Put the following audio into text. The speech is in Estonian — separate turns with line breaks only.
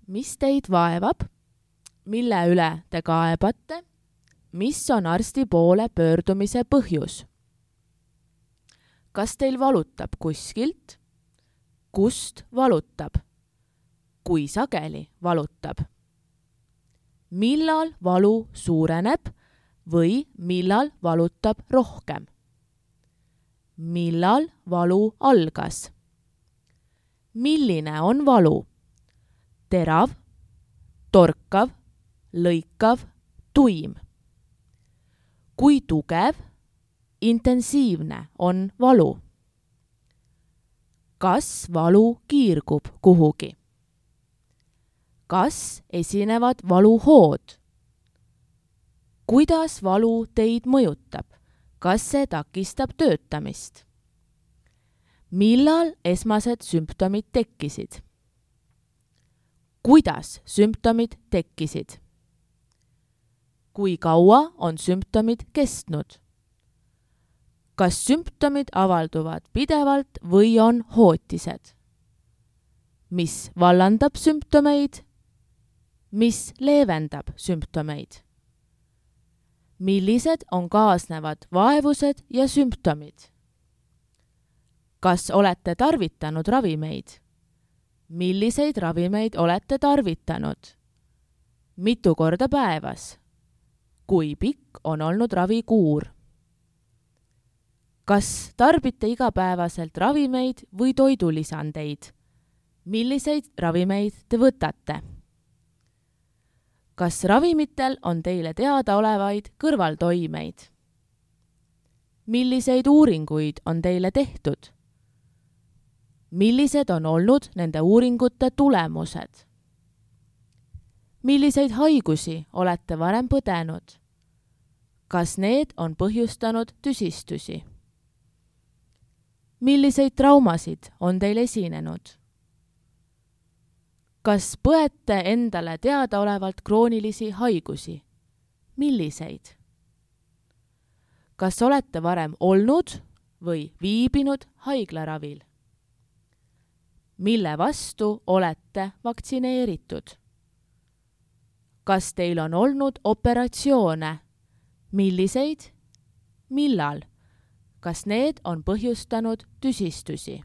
Mis teid vaevab, mille üle te kaebate, mis on arsti poole pöördumise põhjus? Kas teil valutab kuskilt? Kust valutab? Kui sageli valutab? Millal valu suureneb või millal valutab rohkem? Millal valu algas? Milline on valu? Terav, torkav, lõikav, tuim. Kui tugev, intensiivne on valu? Kas valu kiirgub kuhugi? Kas esinevad valuhood? Kuidas valu teid mõjutab? Kas see takistab töötamist? Millal esmased sümptomid tekkisid? Kuidas sümptomid tekkisid? Kui kaua on sümptomid kestnud? Kas sümptomid avalduvad pidevalt või on hootised? Mis vallandab sümptomeid? Mis leevendab sümptomeid? Millised on kaasnevad vaevused ja sümptomid? Kas olete tarvitanud ravimeid? Milliseid ravimeid olete tarvitanud? Mitu korda päevas? Kui pikk on olnud ravikuur? Kas tarbite igapäevaselt ravimeid või toidulisandeid? Milliseid ravimeid te võtate? Kas ravimitel on teile teadaolevaid kõrvaltoimeid? Milliseid uuringuid on teile tehtud? Millised on olnud nende uuringute tulemused? Milliseid haigusi olete varem põdenud? Kas need on põhjustanud tüsistusi? Milliseid traumasid on teil esinenud? Kas põete endale teadaolevalt kroonilisi haigusi? Milliseid? Kas olete varem olnud või viibinud haiglaravil? Mille vastu olete vaktsineeritud? Kas teil on olnud operatsioone? Milliseid? Millal? Kas need on põhjustanud tüsistusi?